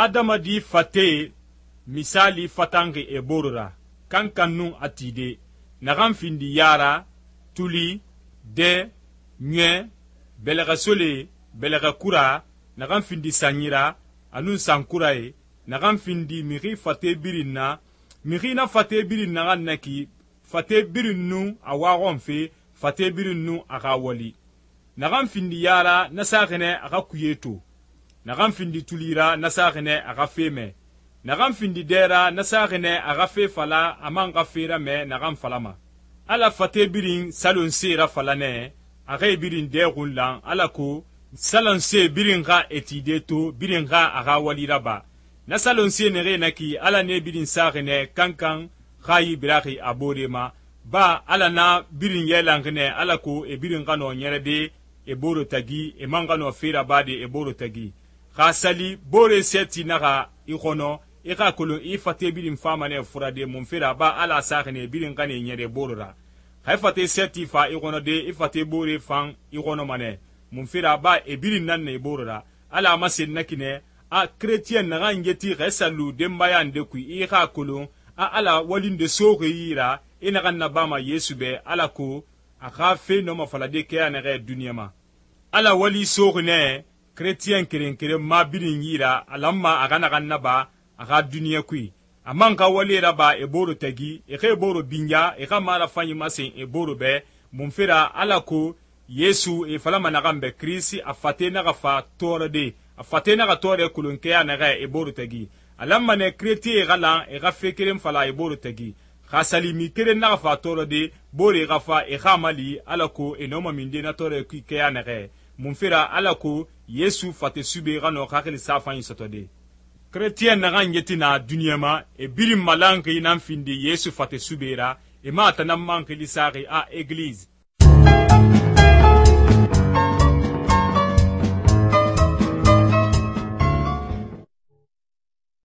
adamadi fate misali fatanxi e boro ra kankan nun a tide naxan findi yara, tuli, de, ɲɛ, bɛlɛxɛsole, bɛlɛxɛkura, naxan findi sanyira anun sankuraye, naxan findi mixi fate birin na, mixi na fate birin naxan naki fate birin nun a waxɔnfe, fate birin nun a xa wali. naxan findi yara na saxi nɛ a xa kuye to, naxan findi tulira na saxi nɛ a xa fe mɛ, naxan findi dɛra na saxi nɛ a xa fe fala a man xa fe ramɛ naxan falama. ala fate birin salonse rafala nɛ a xe birin dɛ xunlan alako salonse birin xa etide to birin xa a xa wali raba. na salonse nexe naki ala ne birin saxi nɛ kankan xa yi biraxi a bore ma, ba ala na birin yɛlanxi nɛ alako e birin xa nɔ ɲɛrɛde e boro tagi e man xa nɔ fe rabade e boro tagi. xa sali bore sɛti naxa i xɔnɔ i xa kolon i fate birin fama nɛ furade mun fera ba ala saxi nɛ birin xa ne ɲɛrɛ boro ra. xa i fate sɛti fa i xɔnɔ de i fate bore fan i xɔnɔma nɛ mun fera ba e birin nan ne i boro ra. ala a masen nakinɛ a keretiyɛn naxan yeti xa i sallu denbaya nde kui i xa kolon a ala walinde soxi yi ra i naxan nabama yesu bɛ alako a xa fe nɔma falade kɛya naxɛ duniɲa ma. ala wali soxi nɛ keretiyɛn keren keren ma birin yi ra a lanma a xa naxan naba a xa duniɲa kui. a man xa wali raba e boro tagi e xa e boro binya e xa marafanyi masen e boro bɛ mun fera alako yesu e falama naxan bɛ kirisi a fate naxa fa tɔɔrɔde a fate naxa tɔɔrɛ kolonkɛya naxɛ e boro tagi. a lanma nɛ keretiye xa lan e xa fe keren fala e boro tagi. xa salimi keren naxa fa tɔɔrɔde bore xa fa e xa mali alako e nɔma minde na tɔɔrɛ kui kɛya naxɛ mun fera alako yesu fate sube xa nɔ xaxili safanyi sɔtɔde. keretiyɛn naxan yeti na duniɲa ma e birin malanxi nan findi yesu fate sube ra e ma a tanan man xili saxi a egilize.